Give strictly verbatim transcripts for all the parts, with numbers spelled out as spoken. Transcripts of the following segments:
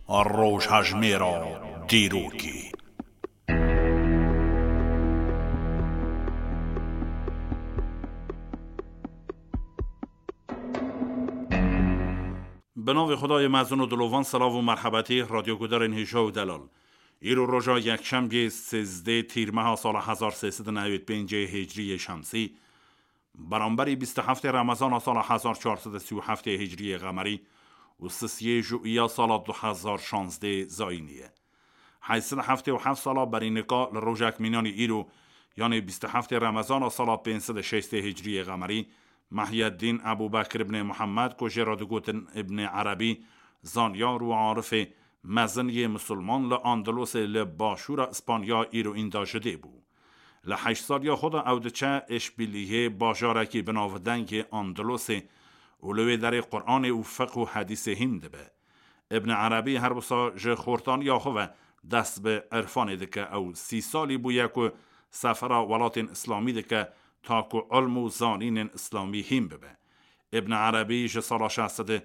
Rojhejmêra dîrokê. Bi navê Xwedayê mezin û dilovan, silav û merhebetî radyogudarên hêja û delal. Îro roja yekşembiyê sêzdeh tîrmeha sala hezar sê sed û newêd pêncê hicriyê şemsî, beramberî bîst û heftê Remezana sala hezar çar sed û sî û heftê hicriyê qemerî û sisiyê jûiya sala du hezar şazdeh zayînî ye. Heyt sed û heftê û heft sala berî nika li rojek mînanî îro, yanê bîst û heftê Remezana sala pênc sed û şêstê hicriyê qemerî, Mehyeddîn Ebû Bekir ibnê Muhammed, ku jê re digotin Ibnê Erebî, zanyar û arifê mezin yê misilman li Andalosê li başûra Îspanya îro înda ji dê bû. Li heşt saliya xwe de ew diçe Îşbîliyê, bajarekî bi navdeng yê Andalosê, û li wê derê Quranê û fiqh û hedîsê hîn dibe. Ibn Erebî her wisa ji xortaniya xwe ve dest bi irfanê dike. Ew sî salî bûye ku sefera welatên Îslamî dike, ta ku ilm û zanînên Îslamî hîn bibe. Ibn Erebî ji sala şeş sed û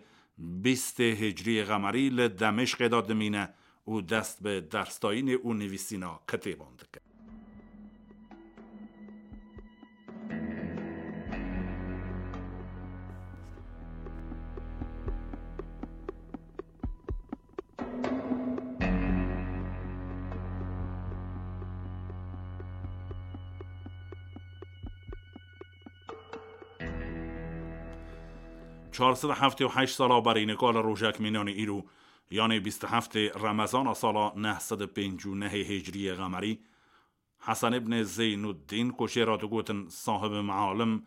bîstê hicriyê qemerî li Demêşqê de dimîne û dest bi dersdayînê û nivîsîna kitêban dike. Çar sed û heftê û heşt sala berî nika li rojek mînanê îro, yanê bîst û heftê Remezana sala neh sed û pêncî û nehê hicriyê qemerî, Hesen ibnê Zeynuddîn, ku jê re digotin sahib mealim,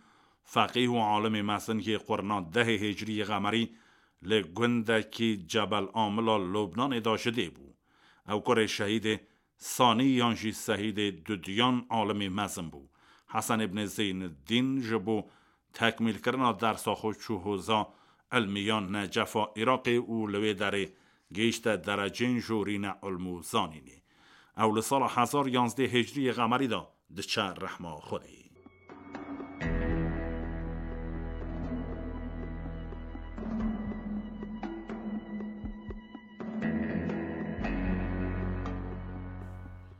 feqîh û alimê mezin yê qurna dehê hicriyê qemerî, li gundekî Cebel Amila Lubnanê de ji dê bû. Ew kurê şehîdê Sanî yan jî Sehîdê Dudiyan alimê mezin bû. Hesen ibnê Zeynuddîn ji bo tekmîlkirina dersa xwe çû hoza ilmiyan Necefa Iraqê û li wê derê gihişte derecên jorîne ilm û zanînê. Ew li sala hezar yanzdeh hicriyê qemerî de diçe rehma Xwedê.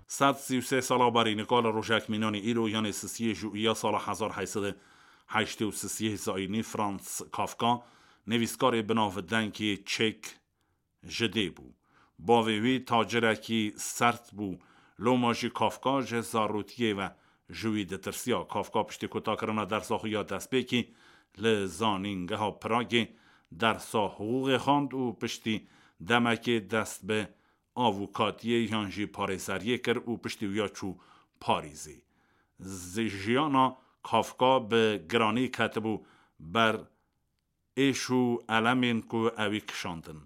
Sed sî û sê sala berî nika li rojek mînanê îro, yanê sisiyê jûiya sala hezar heyt sed û heştê û sisiyê zayînî, Franz Kafka, nivîskarê binavdengê çek, ji dê bû. Bavê wî tacirekî sert bû. Loma jî Kafka ji zarotiyê ve ji wî ditirsiya. Kafka piştî kotakirina dersa xwe ya destpêkî li Zanîngeha Pragê dersa hiqûqê xwend û piştî demekê dest bi avûkatiyê yan jî parêzeriyê kir û piştî wiya çû Parîzê. Zi-, jiyana Kafka bi giranî ketibû ber êş û elemên ku ewî kişandin.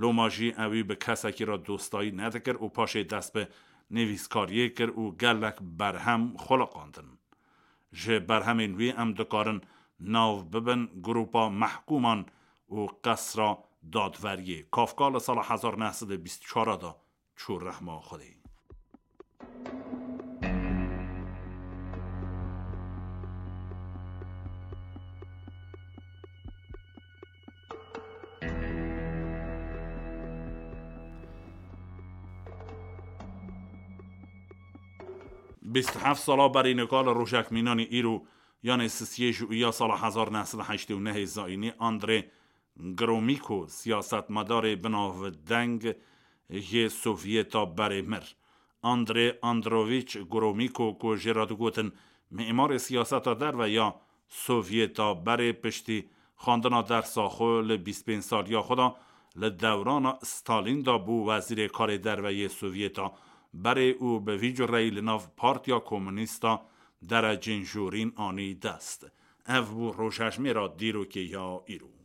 Loma jî ewî bi kesekî re dostayî nedikir û paşê dest bi nivîskariyê kir û gelek berhem xuliqandin. Ji berhemên wî em dikarin nav bibin Grupa Mehkûman û Qesra Dadveriyê. Kafka li sala hezar neh sed û bîst û çar de çû rehma Xwedê. Bîst û heft sala berî nika li rojek mînanî îro, yanê sisiyê jûiya sala hezar neh sed û heştê û nehê zayînî, Andrê Gromîko, siyasetmedarê binavdeng yê Sovyeta berê mir. Andrê Androvîç Gromîko, ku jê re digotin mîmarê siyaseta derve ya Sovyeta berê, piştî xwendina dersa xwe li bîst pênc saliya xwe de li dewrana Stalîn de bû wezîrê karê derve yê Sovyeta berê û bi vî cureyî li nav Partiya Komûnîst de derecên jorîn anî dest. Ev bû rojhejmêra dîrokê ya îro.